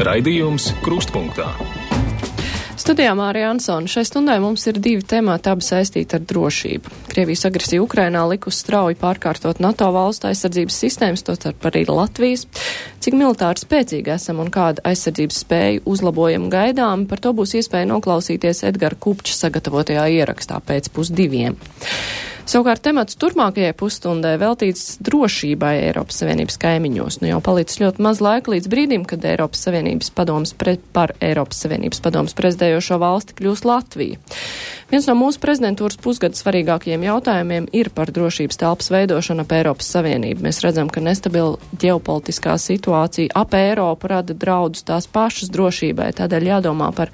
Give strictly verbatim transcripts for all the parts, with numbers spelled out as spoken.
Raidījums Krustpunktā. Studijā Mārija Ansone. Šai stundai mums ir divi temati, abi saistīti ar drošību. Krievijas agresija Ukrainā likus strauji pārkārtot NATO valstu aizsardzības sistēmas, tostarp arī Latvijas. Cik militāri spēcīgi esam un kāda aizsardzības spēju uzlabojumu gaidām, par to būs iespēja noklausīties Edgara Kupča sagatavotajā ierakstā pēc pusdiviem. Savukārt temats turpmākajai pusstundai veltīts drošībai Eiropas Savienības kaimiņos. Nu jau palicis ļoti maz laika līdz brīdim, kad Eiropas Savienības padomas pre, par Eiropas Savienības padomas prezidējošo valsti kļūs Latvija. Viens no mūsu prezidentūras pusgada svarīgākajiem jautājumiem ir par drošības telpas veidošanu ap Eiropas Savienību. Mēs redzam, ka nestabila ģeopolitiskā situācija ap Eiropu rada draudus tās pašas drošībai, tādēļ jādomā par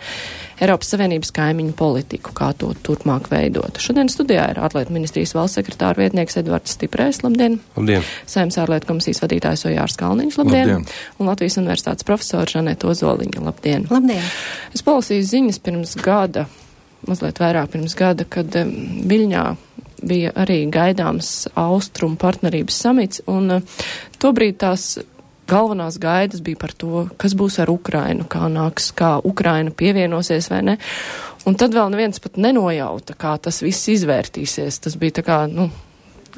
Eiropas Savienības kaimiņu politiku, kā to turpmāk veidot. Šodien studijā ir ārlietu ministrijas valsts sekretāra vietnieks Edvards Stiprējs, labdien! Labdien! Saeimas ārlietu komisijas vadītājs Ojārs Kalniņš, labdien! Labdien! Un Latvijas universitātes profesora Žaneta Ozoliņa, labdien! Labdien! Es palasīju ziņas pirms gada, mazliet vairāk pirms gada, kad um, Viļņā bija arī gaidāms Austrumu partnerības samits, un uh, tobrīd tās galvenās gaidas bija par to, kas būs ar Ukrainu, kā nāks, kā Ukraina pievienosies vai ne. Un tad vēl neviens pat nenojauta, kā tas viss izvērtīsies. Tas bija tā kā, nu,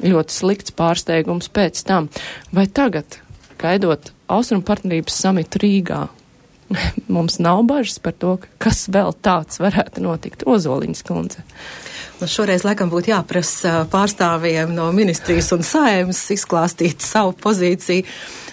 ļoti slikts pārsteigums pēc tam. Vai tagad, gaidot Austrumu partnerības samitu Rīgā, mums nav bažas par to, kas vēl tāds varētu notikt? Ozoliņas kundze. Nu, šoreiz, laikam, būtu jāprasa pārstāvjiem no ministrijas un Saeimas izklāstīt savu pozīciju,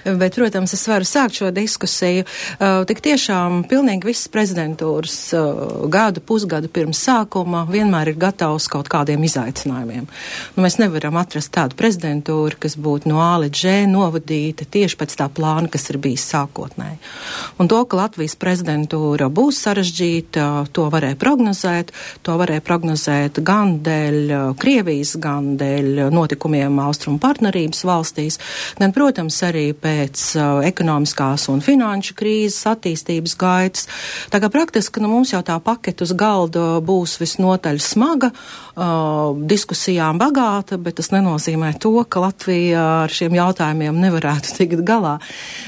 bet, protams, es varu sākt šo diskusiju. Uh, tik tiešām pilnīgi visas prezidentūras uh, gadu, pusgadu pirms sākuma vienmēr ir gatavs kaut kādiem izaicinājumiem. Nu, mēs nevaram atrast tādu prezidentūru, kas būtu no A līdz Ž novadīta tieši pēc tā plāna, kas ir bijis sākotnēji. Un to, ka Latvijas prezidentūra būs sarežģīta, to varēja prognozēt, to varēja prognozēt gan dēļ Krievijas, gan dēļ notikumiem Austrumu partnerības valstīs, gan, protams, arī pēc uh, ekonomiskās un finanšu krīzes attīstības gaitas. Tā kā praktiski nu, mums jau tā paketa uz galda būs visnotaļ smaga, uh, diskusijām bagāta, bet tas nenozīmē to, ka Latvija ar šiem jautājumiem nevarētu tikt galā.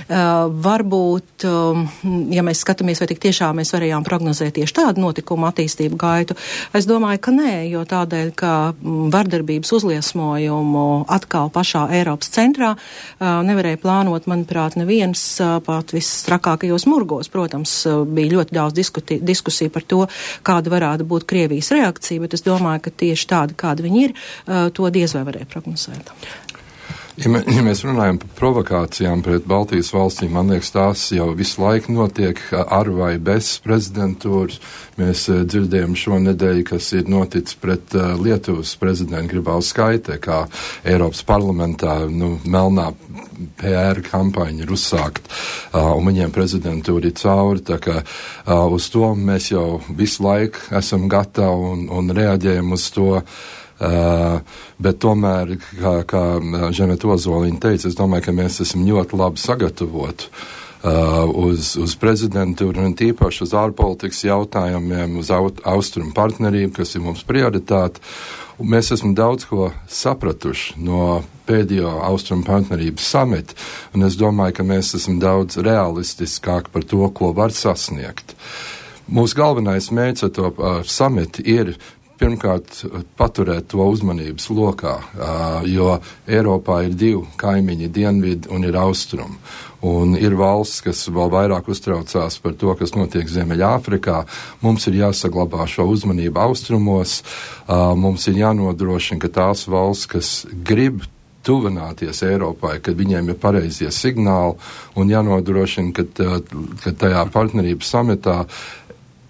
Uh, varbūt, um, ja mēs skatāmies, vai tik tiešām mēs varējām prognozēt tieši tādu notikumu attīstību gaitu, es domāju, ka nē, jo tādēļ, ka vardarbības uzliesmojumu atkal pašā Eiropas centrā uh, nevarēja plānot, manuprāt, neviens pat visstrakākajos murgos. Protams, bija ļoti daudz diskuti, diskusiju par to, kāda varētu būt Krievijas reakcija, bet es domāju, ka tieši tāda, kāda viņi ir, to diez vai varēja prognozēt. Ja, mē, ja mēs runājam par provokācijām pret Baltijas valstīm, man liekas, tās jau visu laiku notiek ar vai bez prezidentūras. Mēs uh, dzirdējām šonedēļ, kas ir noticis pret uh, Lietuvas prezidentu Grybauskaite, kā Eiropas parlamentā nu, melnā P R kampaņa ir uzsākt, uh, un viņiem prezidentūra ir cauri, tā kā uh, uz to mēs jau visu laiku esam gatavi un, un reaģējam uz to. Uh, bet tomēr, kā, kā Žaneta Ozoliņa teica, es domāju, ka mēs esam ļoti labi sagatavoti uh, uz, uz prezidentūru un tīpaši uz ārpolitikas jautājumiem, uz aut, austrumu partnerību, kas ir mums prioritāte. Un mēs esam daudz ko sapratuši no pēdējo austrumu partnerības samita, un es domāju, ka mēs esam daudz realistiskāki par to, ko var sasniegt. Mūsu galvenais mērķis ar to uh, samitu ir pirmkārt, paturēt to uzmanības lokā, jo Eiropā ir divi kaimiņi, dienvidi un ir austrumi. Un ir valsts, kas vēl vairāk uztraucās par to, kas notiek Ziemeļāfrikā. Mums ir jāsaglabā šo uzmanību austrumos, mums ir jānodrošina, ka tās valsts, kas grib tuvināties Eiropai, kad viņiem ir pareizie signāli, un jānodrošina, ka, ka tajā partnerības samitā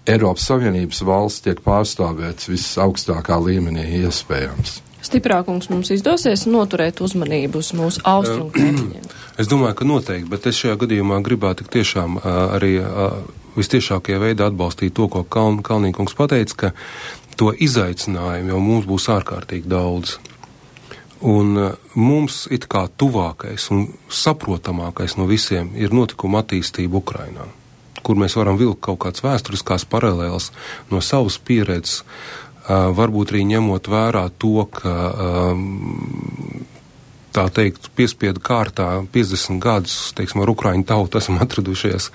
Eiropas Savienības valsts tiek pārstāvēts visaugstākā līmenī iespējams. Stiprākums mums izdosies noturēt uzmanību uz mūsu austrumu kaimiņiem? Es domāju, ka noteikti, bet es šajā gadījumā gribētu tik tiešām uh, arī uh, vistiešākajā veidā atbalstīt to, ko Kaln, Kalnīkungs pateica, ka to izaicinājumu jau mums būs ārkārtīgi daudz. Un uh, mums it kā tuvākais un saprotamākais no visiem ir notikuma attīstība Ukrainā, kur mēs varam vilkt kaut kāds vēsturiskās paralēles no savas pieredzes, uh, varbūt arī ņemot vērā to, ka um, tā teikt, piespiedu kārtā piecdesmit gadus, teiksim, ar Ukraiņu tautu esam atradušies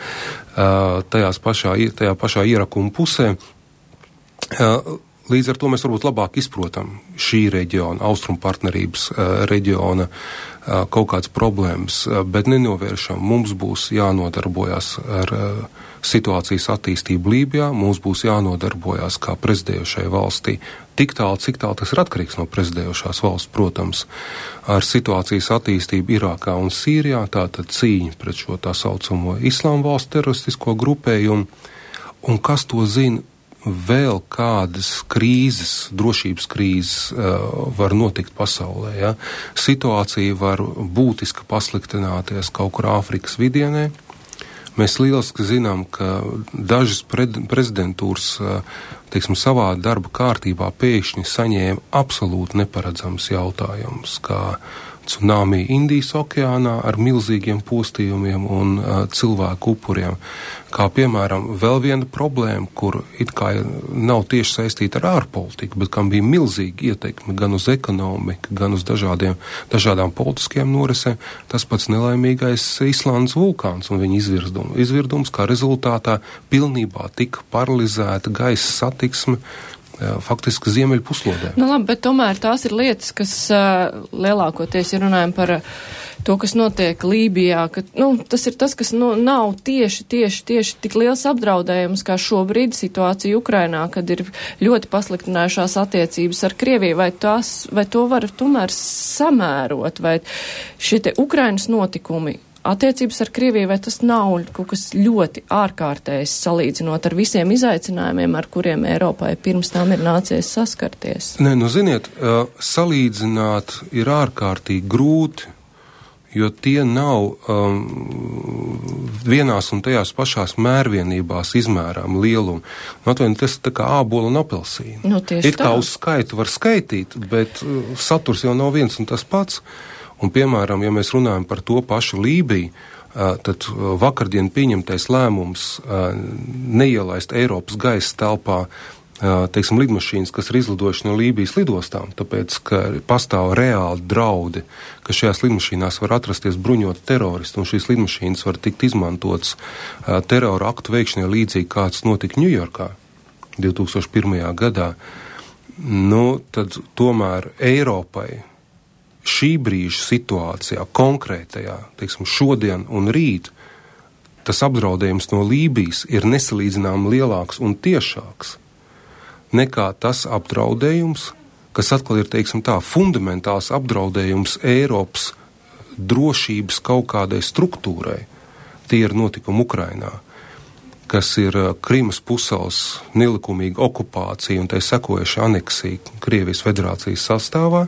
tajās pašā, tajā pašā ierakuma pusē. Līdz ar to mēs varbūt labāk izprotam šī reģiona, austrumu partnerības reģiona kaut kādas problēmas, bet nenovēršam. Mums būs jānodarbojas ar situācijas attīstību Lībijā, mums būs jānodarbojas kā prezidējošai valstī. Tik tālu, cik tālu tas ir atkarīgs no prezidējošās valsts, protams, ar situācijas attīstību Irākā un Sīrijā, tātad cīņa pret šo tā saucamo islāma valstu teroristisko grupējumu. Un kas to zina? Vēl kādas krīzes, drošības krīzes uh, var notikt pasaulē. Ja? Situācija var būtiski pasliktināties kaut kur Āfrikas vidienē. Mēs lieliski zinām, ka dažas pre- prezidentūras uh, teiksim, savā darba kārtībā pēkšņi saņēma absolūti neparedzams jautājums, kā tsunami Indijas okeānā ar milzīgiem postījumiem un uh, cilvēku upuriem. Kā piemēram vēl viena problēma, kur it kā nav tieši saistīta ar ārpolitiku, bet kam bija milzīga ietekme gan uz ekonomiku, gan uz dažādiem, dažādām politiskajām norisēm, tas pats nelaimīgais Islandes vulkāns un viņa izvirdums. Izvirdums, kā rezultātā pilnībā tika paralizēta gaisa satiksme, faktiski ziemeļu puslodē. Nu labi, bet tomēr tās ir lietas, kas uh, lielākoties, ja runājam par uh, to, kas notiek Lībijā, ka, nu, tas ir tas, kas nu, nav tieši, tieši, tieši tik liels apdraudējums kā šobrīd situācija Ukrainā, kad ir ļoti pasliktinājušās attiecības ar Krieviju, vai, tās, vai to var tomēr samērot, vai šie te Ukrainas notikumi, attiecības ar Krieviju, vai tas nav kaut kas ļoti ārkārtējs salīdzinot ar visiem izaicinājumiem, ar kuriem Eiropai pirms tam ir nācies saskarties? Nē, nu ziniet, salīdzināt ir ārkārtīgi grūti, jo tie nav um, vienās un tajās pašās mērvienībās izmērām lielumu. Nu, atvaini, tas tā kā ābola un apelsīna. Nu, tieši it kā tā. uz skaitu var skaitīt, bet uh, saturs jau nav viens un tas pats. Un, piemēram, ja mēs runājam par to pašu Lībiju, tad vakardien pieņemtais lēmums neielaist Eiropas gaisa telpā, teiksim, lidmašīnas, kas ir izlidojuši no Lībijas lidostām, tāpēc, ka pastāv reāli draudi, ka šajās lidmašīnās var atrasties bruņoti teroristi, un šīs lidmašīnas var tikt izmantotas terora aktu veikšanai līdzīgi, kāds notika Ņujorkā divi tūkstoši pirmajā gadā. Nu, tad tomēr Eiropai šī brīža situācijā, konkrētajā, teiksim, šodien un rīt, tas apdraudējums no Lībijas ir nesalīdzinām lielāks un tiešāks nekā tas apdraudējums, kas atkal ir, teiksim tā, fundamentāls apdraudējums Eiropas drošības kaut kādai struktūrai. Tie ir notikumi Ukrainā, kas ir Krimas pussalas nelikumīga okupācija un tai sekojuša aneksija Krievijas federācijas sastāvā,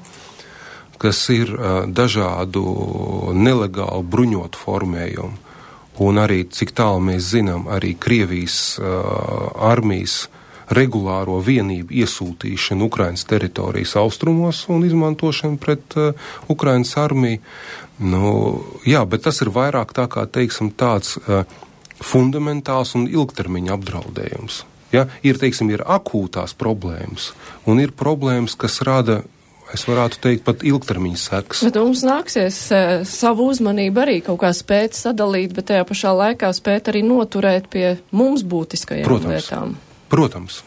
kas ir uh, dažādu nelegālu bruņotu formējumu. Un arī, cik tālu mēs zinām, arī Krievijas uh, armijas regulāro vienību iesūtīšanu Ukrainas teritorijas austrumos un izmantošanu pret uh, Ukrainas armiju. Nu, jā, bet tas ir vairāk tā kā, teiksim, tāds uh, fundamentāls un ilgtermiņa apdraudējums. Ja? Ir, teiksim, ir akūtās problēmas un ir problēmas, kas rada, es varētu teikt, pat ilgtermiņa sekas. Bet mums nāksies e, savu uzmanību arī kaut kā spēt sadalīt, bet tajā pašā laikā spēt arī noturēt pie mums būtiskajām Protams. lietām. Protams.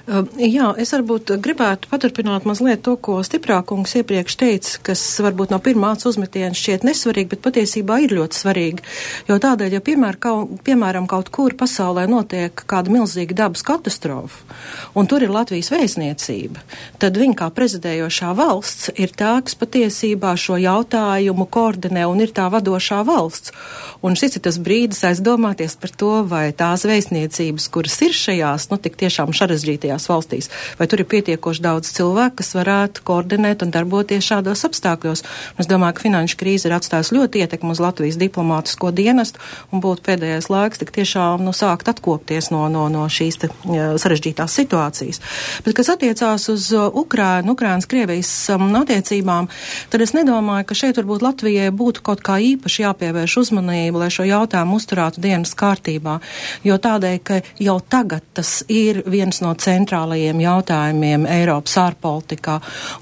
Uh, jā, es varbūt gribētu paturpināt mazliet to, ko Stiprākungs iepriekš teica, kas varbūt no pirmās uzmetiena šķiet nesvarīgi, bet patiesībā ir ļoti svarīgi. Jo tādēļ, ja piemēr, kaut, piemēram kaut kur pasaulē notiek kāda milzīga dabas katastrofa, un tur ir Latvijas vēstniecība, tad viņa kā prezidējošā valsts ir tā, kas patiesībā šo jautājumu koordinē un ir tā vadošā valsts. Un šis ir tas brīdis aizdomāties par to, vai tās vēstniecības, kuras ir šajās, nu tik tiešām sarežģītajās valstīs, vai tur ir pietiekoši daudz cilvēku, kas varētu koordinēt un darboties šādos apstākļos. Un es domāju, ka finanšu krīze ir atstājusi ļoti ietekmi uz Latvijas diplomātisko dienestu un būtu pēdējais laiks tik tiešām nu, sākt atkopties no, no, no šīs te, ja, sarežģītās situācijas. Bet, kas attiecās uz Ukrainu, Ukrainas Krievijas um, attiecībām, tad es nedomāju, ka šeit varbūt Latvijai būtu kaut kā īpaši jāpievērš uzmanība, lai šo jautājumu uzturētu dienas kārtībā, jo tādēļ, ka jau tagad tas ir viens no centrālajiem jautājumiem Eiropas ārpolitikā.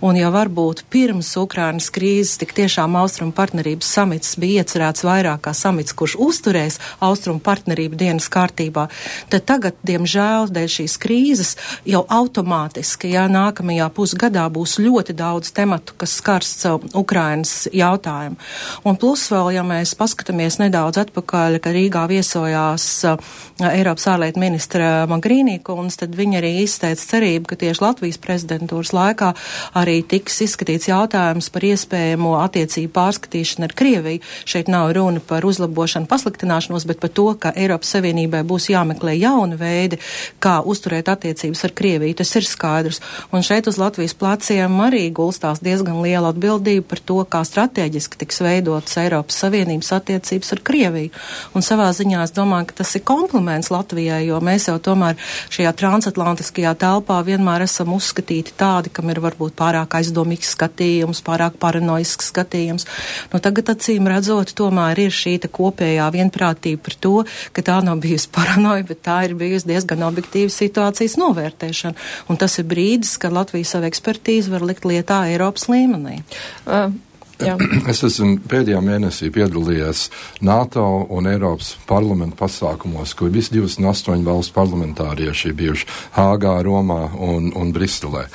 Un jau varbūt pirms Ukrainas krīzes tik tiešām Austrumu partnerības samits bija iecerēts vairāk kā samits, kurš uzturēs Austrumu partnerību dienas kārtībā, tad tagad, diemžēl, dēļ šīs krīzes jau automātiski, ja nākamajā pusgadā būs ļoti daudz tematu, kas skars Ukrainas jautājumu. Un plus vēl, ja mēs paskatāmies nedaudz atpakaļ, ka Rīgā viesojās uh, Eiropas ārlietu ministra Mogherini kundze, tad viņa arī izteica cerību, ka tieši Latvijas prezidentūras laikā arī tiks izskatīts jautājums par iespējamo attiecību pārskatīšanu ar Krieviju. Šeit nav runa par uzlabošanu, pasliktināšanos, bet par to, ka Eiropas Savienībai būs jāmeklē jauni veidi, kā uzturēt attiecības ar Krieviju. Tas ir skaidrs. Un šeit uz Latvijas pleciem arī gulstās diezgan liela atbildība par to, kā strateģiski tiks veidotas Eiropas Savienības attiecības ar Krieviju. Un savā ziņā es domāju, ka tas ir kompliments Latvijai, jo mēs jau tomēr šajā transatlantiskajā telpā vienmēr esam uzskatīti tādi, kam ir varbūt pārāk aizdomīgs skatījums, pārāk paranoisks skatījums. Nu, tagad acīm redzot, tomēr ir šī kopējā vienprātība par to, ka tā nav bijusi paranoja, bet tā ir bijusi diezgan objektīva situācijas novērtēšana. Un tas ir brīdis, kad Latvija savu ekspertīzi var likt lietā Eiropas līmenī. Uh. Jā. Es esmu pēdējā mēnesī piedalījies NATO un Eiropas parlamentu pasākumos, kur visi divdesmit astoņi valstu parlamentārieši ir bijuši Hāgā, Romā un, un Briselē.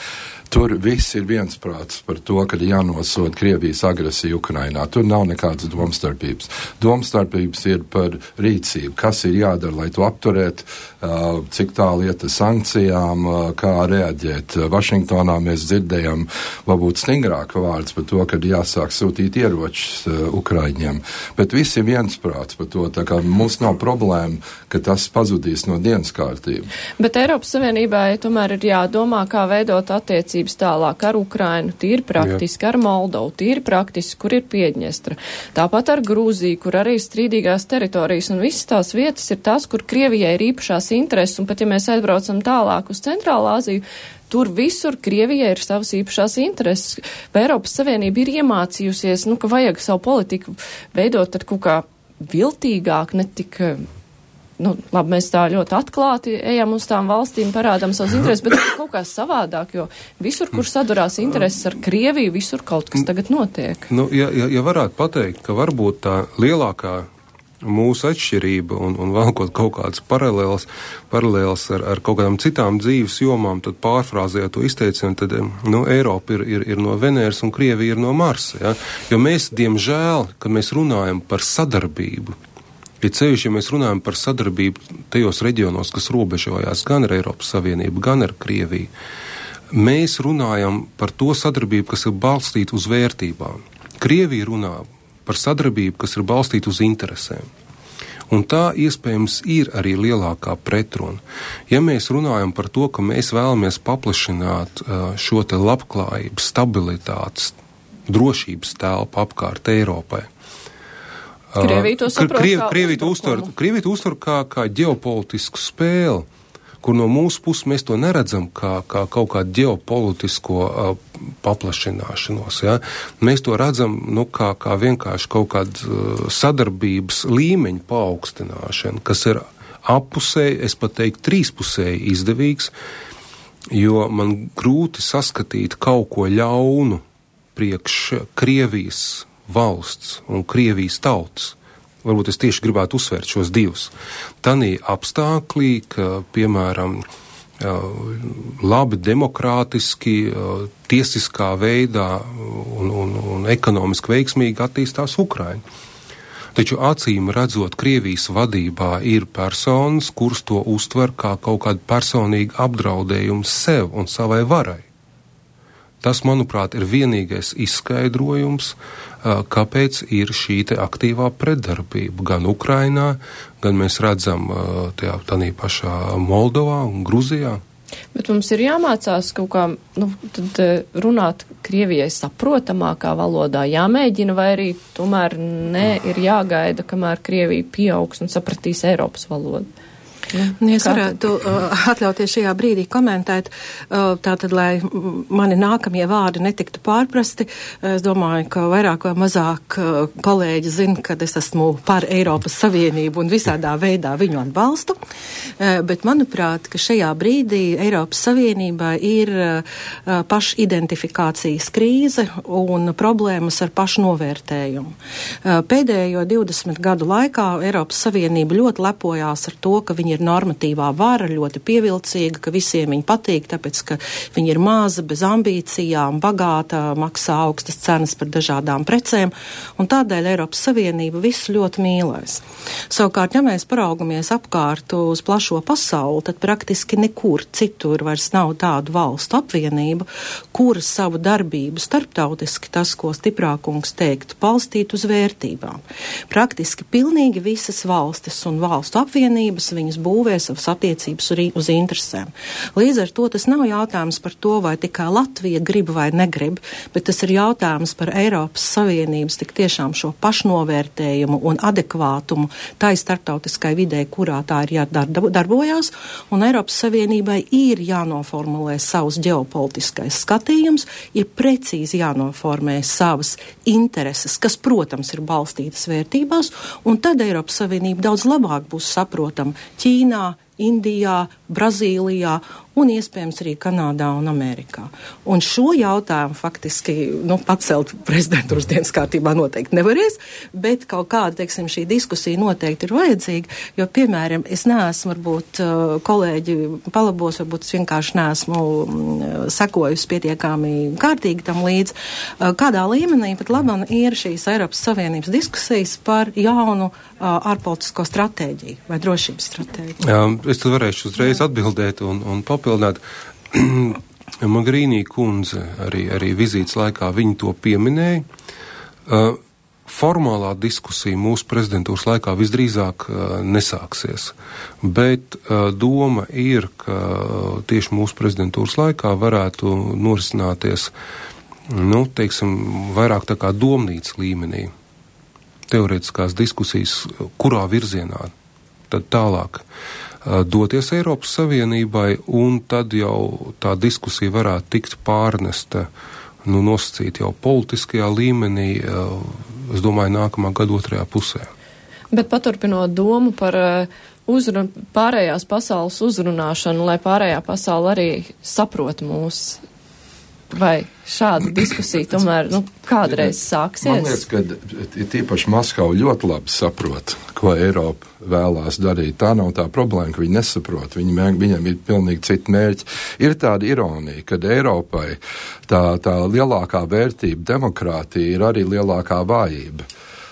Tur viss ir viensprāts par to, ka jānosoda Krievijas agresija Ukrainā. Tur nav nekādas domstarpības. Domstarpības ir par rīcību, kas ir jādara, lai to apturētu, uh, cik tālu iet ar sankcijām, uh, kā reaģēt. Vašingtonā mēs dzirdējam varbūt stingrāk vārds par to, ka jāsāk sūtīt ieročus uh, Ukraiņiem. Bet viss ir viensprāts par to, tā kā mums nav problēma, ka tas pazudīs no dienas kārtību. Bet Eiropas Savienībai tomēr ir jādomā, kā veidot attiecības tālāk ar Ukrainu, tīri praktiski, Jā. Ar Moldovu, tīri praktiski, kur ir Piedņestra. Tāpat ar Grūziju, kur arī strīdīgās teritorijas, un visas tās vietas ir tās, kur Krievijai ir īpašās intereses, un pat ja mēs aizbraucam tālāk uz Centrālā Aziju, tur visur Krievijai ir savas īpašās intereses. Vai Eiropas Savienība ir iemācījusies, nu, ka vajag savu politiku veidot tad kaut kā viltīgāk, ne tik... Nu, labi, mēs tā ļoti atklāti ejam uz tām valstīm, parādām savus intereses, bet kaut kā savādāk, jo visur, kur sadurās intereses ar Krieviju, visur kaut kas tagad notiek. Nu, ja, ja, ja varētu pateikt, ka varbūt tā lielākā mūsu atšķirība un, un valkot kaut kādas paralēlas, paralēlas ar, ar kaut kādām citām dzīves jomām, tad pārfrāzējot to izteicienu, tad nu, Eiropa ir, ir, ir no Veneras un Krievija ir no Marsa. Ja? Jo mēs, diemžēl, kad mēs runājam par sadarbību, ja ceļš, ja mēs runājam par sadarbību tajos reģionos, kas robežojās gan ar Eiropas Savienību, gan ar Krieviju, mēs runājam par to sadarbību, kas ir balstīta uz vērtībām. Krievija runā par sadarbību, kas ir balstīta uz interesēm. Un tā iespējams ir arī lielākā pretruna. Ja mēs runājam par to, ka mēs vēlamies paplašināt šo te labklājību, stabilitātes, drošības telpu apkārt Eiropai, Krievija to saprot Krievi, kā Krievija to uztver, Krievija to uztver kā, kā ģeopolitisku spēli, kur no mūsu puses mēs to neredzam kā, kā kaut kādu ģeopolitisko uh, paplašināšanos. Ja? Mēs to redzam nu, kā, kā vienkārši kaut kādu uh, sadarbības līmeņu paaugstināšanu, kas ir appusēji, es pat teiktu, trīspusēji izdevīgs, jo man grūti saskatīt kaut ko ļaunu priekš Krievijas valsts un Krievijas tautas. Varbūt es tieši gribētu uzsvērt šos divus. Tanī apstāklī, ka, piemēram, labi demokrātiski, tiesiskā veidā un, un, un ekonomiski veiksmīgi attīstās Ukraina. Taču acīm redzot, Krievijas vadībā ir personas, kuras to uztver kā kaut kādu personīgu apdraudējumu sev un savai varai. Tas, manuprāt, ir vienīgais izskaidrojums, kāpēc ir šī te aktīvā pretdarbība gan Ukrainā, gan mēs redzam tajā tādā pašā Moldovā un Gruzijā. Bet mums ir jāmācās kaut kā, nu, tad runāt Krievijai saprotamākā valodā, jāmēģina, vai arī tomēr ne ir jāgaida, kamēr Krievija pieaugs un sapratīs Eiropas valodu. Nu, es varētu uh, atļauties šajā brīdī komentēt, uh, tātad, lai mani nākamie vārdi netiktu pārprasti. Es domāju, ka vairāk vai mazāk uh, kolēģi zina, ka es esmu par Eiropas Savienību un visādā veidā viņu atbalstu, uh, bet manuprāt, ka šajā brīdī Eiropas Savienībā ir uh, pašidentifikācijas krīze un problēmas ar pašnovērtējumu. Uh, pēdējo divdesmit gadu laikā Eiropas Savienība ļoti lepojās ar to, ka viņi ir normatīvā vara, ļoti pievilcīga, ka visiem viņi patīk, tāpēc, ka viņi ir maza, bez ambīcijām, bagāta, maksā augstas cenas par dažādām precēm, un tādēļ Eiropas Savienība visu ļoti mīlēs. Savukārt, ja mēs paraugamies apkārt uz plašo pasauli, tad praktiski nekur citur vairs nav tādu valstu apvienību, kuras savu darbību starptautiski, tas, ko stiprākums teiktu, balstīt uz vērtībām. Praktiski pilnīgi visas valstis un valstu apvienības viņas būvē savas attiecības uz interesēm. Līdz ar to tas nav jautājums par to, vai tikai Latvija grib vai negrib, bet tas ir jautājums par Eiropas Savienības tik tiešām šo pašnovērtējumu un adekvātumu tai starptautiskai vidē, kurā tā ir jādarbojās, un Eiropas Savienībai ir jānoformulē savus ģeopolitiskais skatījums, ir precīzi jānoformē savas intereses, kas, protams, ir balstītas vērtībās, un tad Eiropas Savienība daudz labāk būs saprotama Ķīnā, Indijā, Brazīlijā un iespējams arī Kanādā un Amerikā. Un šo jautājumu faktiski nu, pacelt prezidentūras dienas kārtībā noteikti nevarēs, bet kaut kāda, teiksim, šī diskusija noteikti ir vajadzīga, jo, piemēram, es neesmu, varbūt, kolēģi palabos, varbūt es vienkārši neesmu sekojusi pietiekami kārtīgi tam līdz, kādā līmenī pat labam ir šīs Eiropas Savienības diskusijas par jaunu ārpolitisko stratēģiju vai drošības stratēģiju. Jā, es tad varēšu uzreiz atbildēt un, un papildināt. Magrīnī kundze arī, arī vizītes laikā viņi to pieminēja. Uh, formālā diskusija mūsu prezidentūras laikā visdrīzāk uh, nesāksies, bet uh, doma ir, ka tieši mūsu prezidentūras laikā varētu norisināties, nu, teiksim, vairāk tā kā domnīcas līmenī. Teorētiskās diskusijas, kurā virzienā tad tālāk uh, doties Eiropas Savienībai, un tad jau tā diskusija varētu tikt pārnesta, nu, nosacīt jau politiskajā līmenī, uh, es domāju, nākamā gada otrajā pusē. Bet paturpinot domu par uh, uzrun, pārējās pasaules uzrunāšanu, lai pārējā pasaule arī saprot mūs, vai šāda diskusija tomēr, nu, kādreiz sāksies? Man liekas, ka tīpaši Maskava ļoti labi saprot, ko Eiropa vēlās darīt. Tā nav tā problēma, ka viņi nesaprot. Viņi, viņam ir pilnīgi citi mērķi. Ir tāda ironija, ka Eiropai tā, tā lielākā vērtība demokrātija ir arī lielākā vājība.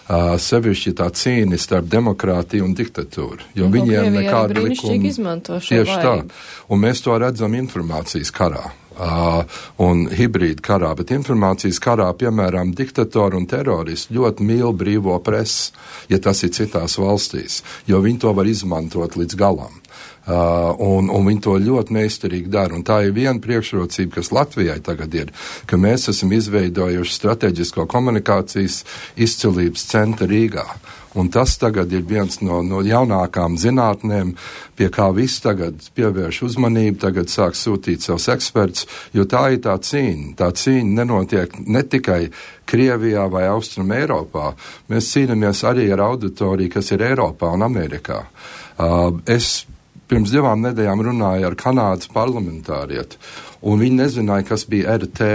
Uh, sevišķi tā cīņa starp demokrātiju un diktatūru, jo un viņiem nekāda likuma izmanto šo tieši vājību. Tā. Un mēs to redzam informācijas karā. Uh, un hibrīda karā, bet informācijas karā, piemēram, diktatori un teroristi ļoti mīl brīvo presi, ja tas ir citās valstīs, jo viņi to var izmantot līdz galam. Uh, un, un viņi to ļoti meistarīgi dara. Un tā ir viena priekšrocība, kas Latvijai tagad ir, ka mēs esam izveidojuši strateģisko komunikācijas izcilības centru Rīgā. Un tas tagad ir viens no, no jaunākām zinātnēm, pie kā viss tagad pievērš uzmanību, tagad sāk sūtīt savus ekspertus, jo tā ir tā cīņa. Tā cīņa nenotiek ne tikai Krievijā vai Austrum Eiropā, mēs cīnāmies arī ar auditoriju, kas ir Eiropā un Amerikā. Uh, es pirms divām nedēļām runāju ar Kanādas parlamentārieti, un viņi nezināja, kas bija R T.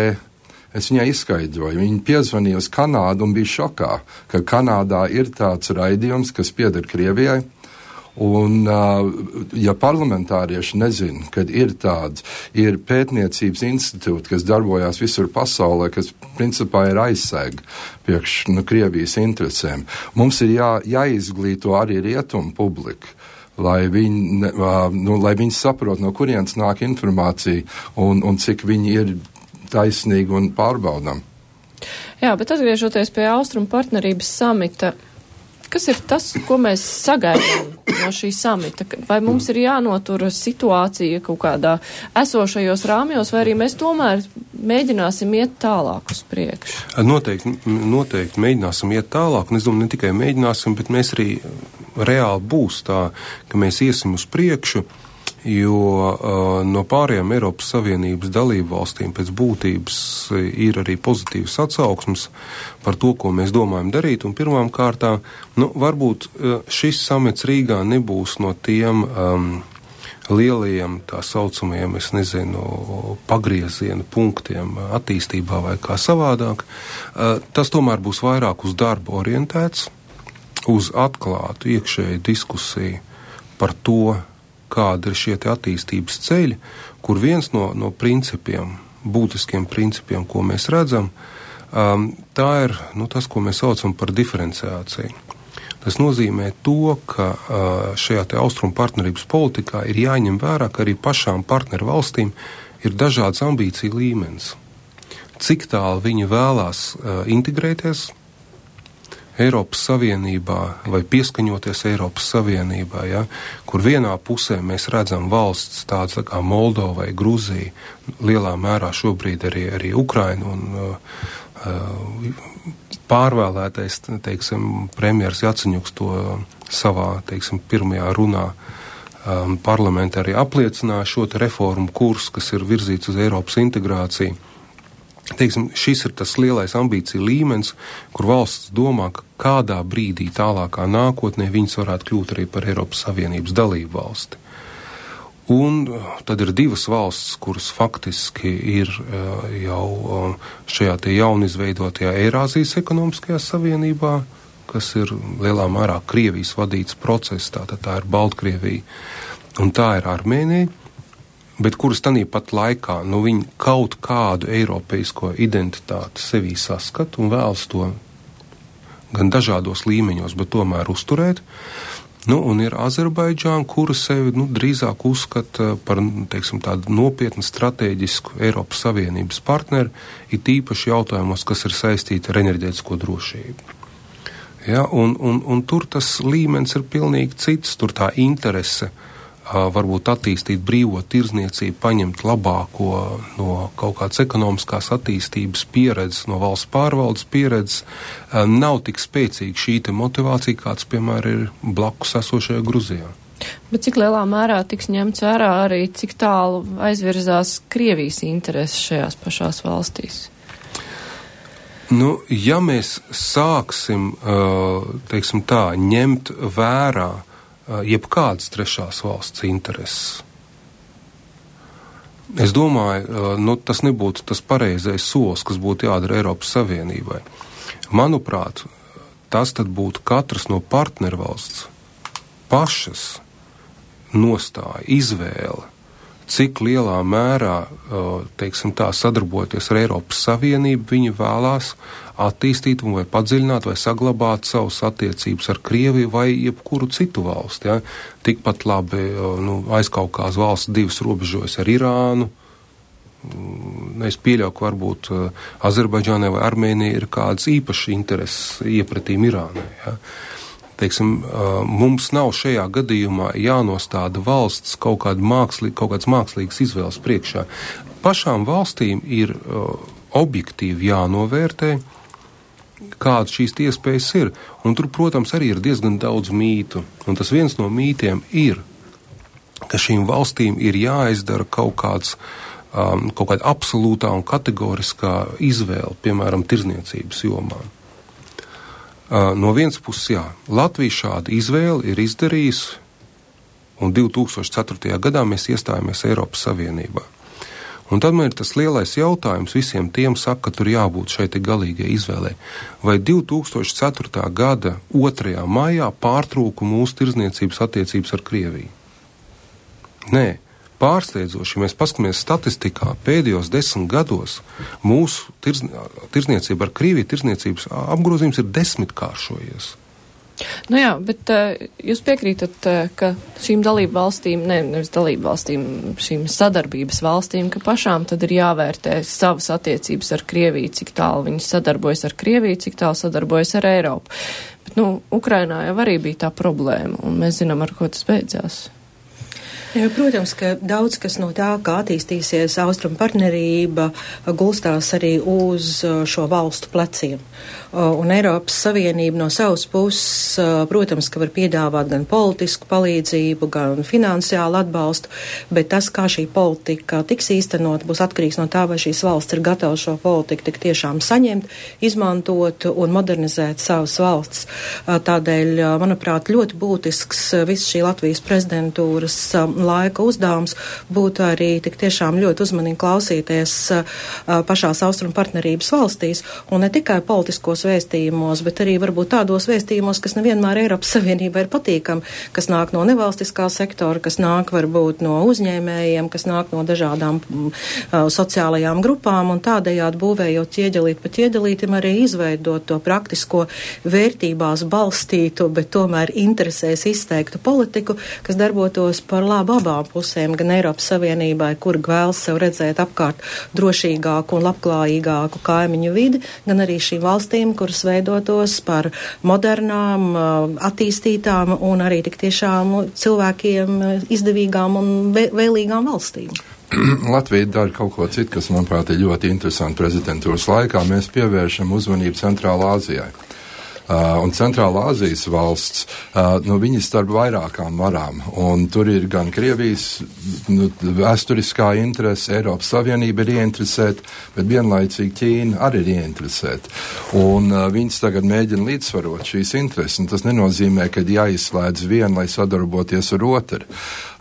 Es viņai izskaidroju. Viņa piezvanīja uz Kanādu un bija šokā, ka Kanādā ir tāds raidījums, kas pieder Krievijai. Un, ja parlamentārieši nezina, kad ir tāds, ir pētniecības institūti, kas darbojās visur pasaulē, kas principā ir aizsēga priekš nu, Krievijas interesēm. Mums ir jā, jāizglīto arī rietumu publiku, lai viņi, nu, lai viņi saprot, no kurienes nāk informācija un, un cik viņi ir taisnīgi un pārbaudām. Jā, bet atgriežoties pie Austrumu partnerības samita, kas ir tas, ko mēs sagaidām no šī samita? Vai mums ir jānotura situācija kaut kādā esošajos rāmjos, vai arī mēs tomēr mēģināsim iet tālāk uz priekšu? Noteikti, noteikti mēģināsim iet tālāk, un es domāju, ne tikai mēģināsim, bet mēs arī reāli būs tā, ka mēs iesim uz priekšu, jo uh, no pārējām Eiropas Savienības dalību valstīm pēc būtības ir arī pozitīvas atsauksmes par to, ko mēs domājam darīt, un pirmām kārtā, nu, varbūt uh, šis samits Rīgā nebūs no tiem um, lielajiem, tā saucamajiem, es nezinu, pagrieziena punktiem attīstībā vai kā savādāk. Uh, tas tomēr būs vairāk uz darbu orientēts, uz atklātu iekšēju diskusiju par to, kāda ir šie te attīstības ceļi, kur viens no, no principiem, būtiskiem principiem, ko mēs redzam, um, tā ir nu, tas, ko mēs saucam par diferenciāciju. Tas nozīmē to, ka uh, šajā te austrumu partnerības politikā ir jāņem vērā, ka arī pašām partneru valstīm ir dažāds ambīciju līmenis. Cik tālu viņi vēlās uh, integrēties Eiropas Savienībā vai pieskaņoties Eiropas Savienībā, ja, kur vienā pusē mēs redzam valsts tādas tā kā Moldova vai Gruzija, lielā mērā šobrīd arī, arī Ukraina un uh, pārvēlētais, teiksim, premjers Jaceņuks to savā, teiksim, pirmajā runā um, parlamentā arī apliecināja šo te reformu kursu, kas ir virzīts uz Eiropas integrāciju. Teiksim, šis ir tas lielais ambīcija līmenis, kur valsts domā, ka kādā brīdī tālākā nākotnē viņas varētu kļūt arī par Eiropas Savienības dalību valsti. Un tad ir divas valsts, kuras faktiski ir jau šajā te jaunizveidotajā Eirāzijas ekonomiskajā savienībā, kas ir lielā mērā Krievijas vadīts process, tātad tā ir Baltkrievija, un tā ir Armēnija, bet kuras tanī pat laikā, nu, viņi kaut kādu eiropeisko identitāti sevī saskat un vēlas to gan dažādos līmeņos, bet tomēr uzturēt. Nu, un ir Azerbaidžāna, kura sevi, nu, drīzāk uzskata par, teiksim, tādu nopietnu strateģisku Eiropas Savienības partneri, it īpaši jautājumos, kas ir saistīti ar enerģētisko drošību. Ja, un, un, un tur tas līmenis ir pilnīgi cits, tur tā interese varbūt attīstīt brīvo tirzniecību, paņemt labāko no kaut kādas ekonomiskās attīstības pieredzes, no valsts pārvaldes pieredzes, nav tik spēcīga šī te motivācija, kāds, piemēram, ir blakus esošajā Gruzijā. Bet cik lielā mērā tiks ņemts vērā arī, cik tālu aizvirzās Krievijas intereses šajās pašās valstīs? Nu, ja mēs sāksim, teiksim tā, ņemt vērā jebkādas trešās valsts intereses. Es domāju, nu, tas nebūtu tas pareizais solis, kas būtu jādara Eiropas Savienībai. Manuprāt, tas tad būtu katras no partnervalsts pašas nostāja, izvēle, cik lielā mērā, teiksim tā, sadarbojoties ar Eiropas Savienību, viņi vēlās attīstīt vai padziļināt vai saglabāt savus attiecības ar Krieviju vai jebkuru citu valsti. Ja? Tikpat labi, nu, aizkaukās valsts divas robežojas ar Irānu. Es pieļauju, ka varbūt Azerbaidžānai vai Armēnijai ir kādas īpašas intereses iepratīm Irānai. Ja? Teiksim, mums nav šajā gadījumā jānostāda valsts kaut kāda mākslīga, kaut kāds mākslīgas izvēles priekšā. Pašām valstīm ir objektīvi jānovērtē, kādas šīs iespējas ir. Un tur, protams, arī ir diezgan daudz mītu. Un tas viens no mītiem ir, ka šīm valstīm ir jāizdara kaut kāds, um, kaut kāda absolūtā un kategoriskā izvēle, piemēram, tirzniecības jomā. Uh, no vienas puses, jā, Latvija šādu izvēli ir izdarījusi, un divi tūkstoši ceturtajā gadā mēs iestājāmies Eiropas Savienībā. Un tad man ir tas lielais jautājums, visiem tiem saka, ka tur jābūt šai te galīgai izvēlē. Vai divi tūkstoši ceturtā gada otrajā maijā pārtrūka mūsu tirzniecības attiecības ar Krieviju? Nē, pārsteidzoši, ja mēs paskatāmies statistikā, pēdējos desmit gados mūsu tirzniecība ar Krieviju, tirzniecības apgrozījums ir desmitkāršojies. Nu jā, bet uh, jūs piekrītat, uh, ka šīm dalību valstīm, ne, nevis dalību valstīm, šīm sadarbības valstīm, ka pašām tad ir jāvērtē savas attiecības ar Krieviju, cik tālu viņas sadarbojas ar Krieviju, cik tālu sadarbojas ar Eiropu. Bet, nu, Ukrainā jau arī bija tā problēma, un mēs zinām, ar ko tas beidzās. Ja, protams, ka daudz kas no tā, kā attīstīsies austrumu partnerība, gulstās arī uz šo valstu pleciem. Un Eiropas Savienība no savas puses, protams, ka var piedāvāt gan politisku palīdzību, gan finansiālu atbalstu, bet tas, kā šī politika tiks īstenot, būs atkarīgs no tā, vai šīs valsts ir gatavas šo politiku tik tiešām saņemt, izmantot un modernizēt savas valsts. Tādēļ, manuprāt, ļoti būtisks viss šī Latvijas prezidentūras laika uzdevums būtu arī tik tiešām ļoti uzmanīgi klausīties pašās austrumu partnerības valstīs, un ne tikai politiskos vēstījumos, bet arī varbūt tādos vēstījumos, kas nevienmēr Eiropas Savienībā ir patīkami, kas nāk no nevalstiskā sektora, kas nāk varbūt no uzņēmējiem, kas nāk no dažādām uh, sociālajām grupām, un tādējādi būvējot ķieģelīt pa ķieģelītim arī izveidot to praktisko vērtībās balstītu, bet tomēr interesēs izteiktu politiku, kas darbotos par labu abām pusēm, gan Eiropas Savienībai, kur vēlas sev redzēt apkārt drošīgāku un labklājīgāku kaimiņu vidi, gan arī šīm valstīm, kuras veidotos par modernām, attīstītām un arī tik tiešām cilvēkiem izdevīgām un vēlīgām valstīm. Latvija dara kaut ko citu, kas, manuprāt, ir ļoti interesanti prezidentūras laikā. Mēs pievēršam uzmanību Centrālā Āzijai. Uh, un Centrālā Āzijas valsts, uh, nu, viņi starp vairākām varām, un tur ir gan Krievijas nu, vēsturiskā interese, Eiropas Savienība ir ieinteresēta, bet vienlaicīgi Ķīna arī ir ieinteresēta. Un uh, viņas tagad mēģina līdzsvarot šīs intereses, un tas nenozīmē, ka jāizslēdz vienu, lai sadarboties ar otru.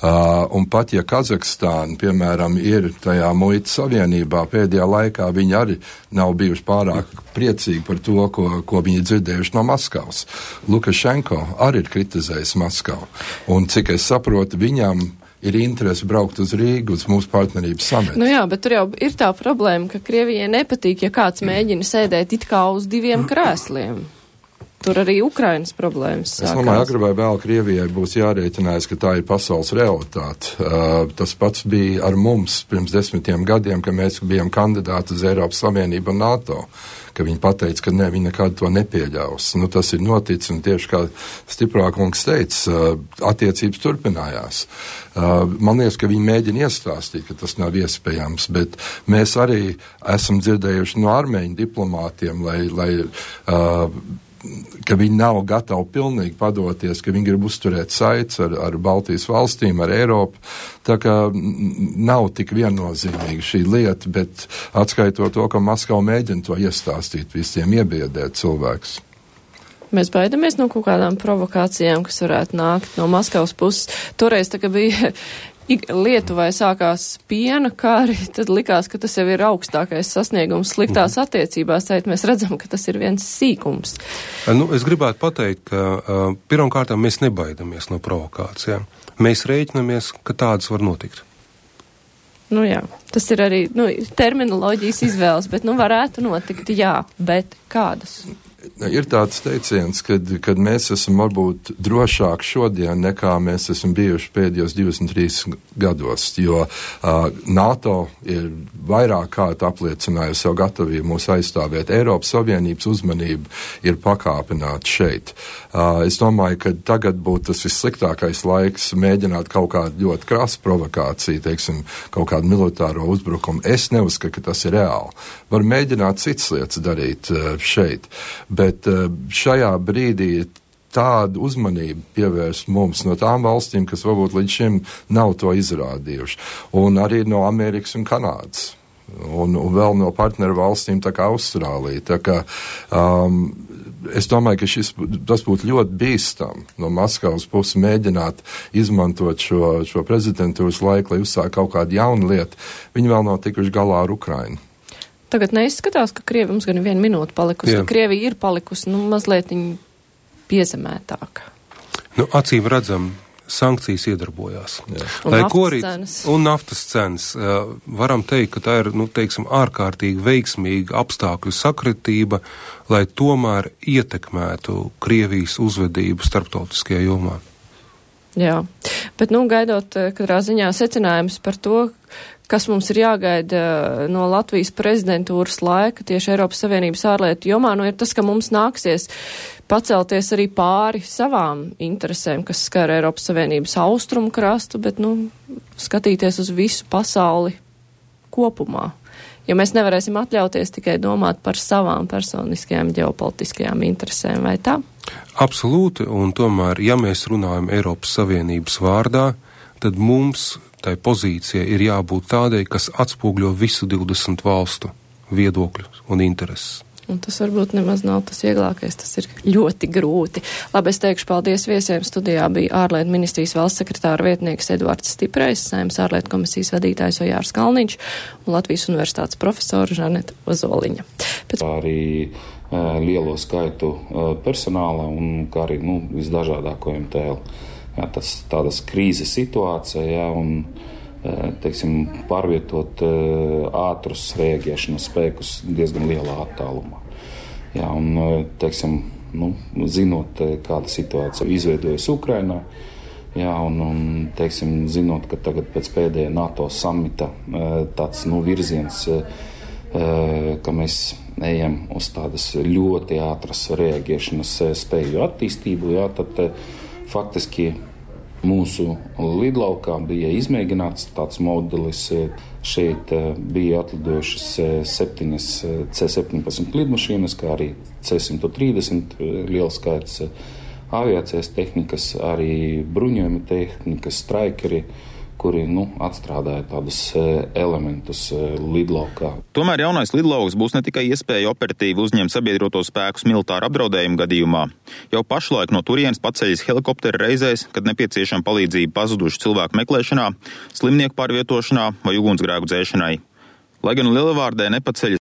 Uh, un pat, ja Kazahstāna, piemēram, ir tajā muitas savienībā, pēdējā laikā viņi arī nav bijuši pārāk priecīgi par to, ko, ko viņi dzirdējuši no Maskavas. Lukašenko arī ir kritizējis Maskavu. Un, cik es saprotu, viņam ir interese braukt uz Rīgu, uz mūsu partnerības samitu. Nu jā, bet tur jau ir tā problēma, ka Krievijai nepatīk, ja kāds mēģina sēdēt it kā uz diviem krēsliem. Tur arī Ukrainas problēmas sākās. Es domāju, agrāk vai vēl Krievijai būs jārēķinās, ka tā ir pasaules realitāte. Uh, tas pats bija ar mums pirms desmitiem gadiem, kad mēs bijām kandidāti uz Eiropas Savienību un NATO, ka viņi pateica, ka ne, viņi nekad to nepieļaus. Nu, tas ir noticis, un tieši kā Stiprākungs teica, uh, attiecības turpinājās. Uh, man liekas, ka viņi mēģina iestāstīt, ka tas nav iespējams, bet mēs arī esam dzirdējuši no armēņu diplomātiem, lai, lai uh, ka viņi nav gatavi pilnīgi padoties, ka viņi grib uzturēt saites ar, ar Baltijas valstīm, ar Eiropu. Tā kā nav tik viennozīmīga šī lieta, bet atskaitot to, ka Maskava mēģina to iestāstīt visiem, iebiedēt cilvēkus. Mēs baidamies no kaut kādām provokācijām, kas varētu nākt no Maskavas puses. Toreiz tā, ka bija Lietuvai sākās piena kāri, tad likās, ka tas jau ir augstākais sasniegums sliktās attiecībās. Tēt mēs redzam, ka tas ir viens sīkums. Nu, es gribētu pateikt, ka uh, pirmkārtām mēs nebaidamies no provokācijām. Mēs rēķinamies, ka tādas var notikt. Nu jā, tas ir arī nu, terminoloģijas izvēles, bet nu varētu notikt, jā, bet kādas? Ir tāds teiciens, kad, kad mēs esam varbūt drošāk šodien, nekā mēs esam bijuši pēdējos divdesmit trīs gados, jo uh, NATO ir vairāk kārt apliecinājusi savu gatavību mūs aizstāvēt. Eiropas Savienības uzmanība ir pakāpināta šeit. Uh, es domāju, ka tagad būtu tas vissliktākais laiks mēģināt kaut kādu ļoti krasu provokāciju, teiksim, kaut kādu militāro uzbrukumu. Es neuzskatu, ka tas ir reāli. Var mēģināt citas lietas darīt uh, šeit. Bet šajā brīdī tādu uzmanību pievērst mums no tām valstīm, kas varbūt līdz šim nav to izrādījuši. Un arī no Amerikas un Kanādas. Un, un vēl no partneru valstīm tā kā Austrālija. Tā kā, um, es domāju, ka šis, tas būtu ļoti bīstam no Maskavas puses mēģināt izmantot šo, šo prezidentūras laiku, lai uzsāk kaut kādu jaunu lietu. Viņi vēl nav tikuši galā ar Ukrainu. Tagad neizskatās, ka Krievi mums gan vienu minūti palikusi, ka Krievija ir palikusi, nu, mazliet piezemētāka. Nu, acīm redzam, sankcijas iedarbojās. Jā. Un Lai naftas korīt, cenas. Un naftas cenas. Uh, varam teikt, ka tā ir, nu, teiksim, ārkārtīgi veiksmīga apstākļu sakritība, lai tomēr ietekmētu Krievijas uzvedību starptautiskajā jomā. Jā, bet, nu, gaidot katrā ziņā secinājums par to, kas mums ir jāgaida no Latvijas prezidentūras laika tieši Eiropas Savienības ārlietu jomā, nu ir tas, ka mums nāksies pacelties arī pāri savām interesēm, kas skar Eiropas Savienības austrumu krastu, bet, nu, skatīties uz visu pasauli kopumā. Jo mēs nevarēsim atļauties tikai domāt par savām personiskajām ģeopolitiskajām interesēm, vai tā? Absolūti, un tomēr, ja mēs runājam Eiropas Savienības vārdā, tad mums tai pozīcija ir jābūt tādai, kas atspūgļo visu divdesmit valstu viedokļus un intereses. Un tas varbūt nemaz nav tas vieglākais, tas ir ļoti grūti. Labi, es teikšu paldies viesiem. Studijā bija ārlietu ministrijas valsts sekretāra vietnieks Eduards Stiprejs, Saeimas ārlietu komisijas vadītājs Ojārs Kalniņš un Latvijas universitātes profesora Žaneta Ozoliņa. Pēc... Arī uh, lielo skaitu uh, personāla un kā arī nu, visdažādāko M T L. Jā, tas tādas krīzes situācija, jā, un teiksim, pārvietot ātrus rēģēšanas spēkus diezgan lielā attālumā. Jā, un, teiksim, nu, zinot, kāda situācija izveidojas Ukrainā, jā, un, un, teiksim, zinot, ka tagad pēc pēdējā NATO samita tāds, nu, virziens, ka mēs ejam uz tādas ļoti ātras rēģēšanas spēju attīstību, jā, tad faktiski mūsu lidlaukā bija izmēģināts tāds modelis. Šeit bija atlidojušas septiņas C septiņpadsmit lidmašīnas, kā arī C simt trīsdesmit liels skaits aviācijas tehnikas, arī bruņojuma tehnikas, straikeri, kuri nu, atstrādāja tādus elementus lidlaukā. Tomēr jaunais lidlauks būs ne tikai iespēja operatīvi uzņemt sabiedroto spēkus militāra apdraudējuma gadījumā. Jau pašlaik no turienes paceļas helikopteri reizēs, kad nepieciešama palīdzība pazudušu cilvēku meklēšanā, slimnieku pārvietošanā vai ugunsgrēku dzēšanai. Lai gan Lielvārdē nepaceļas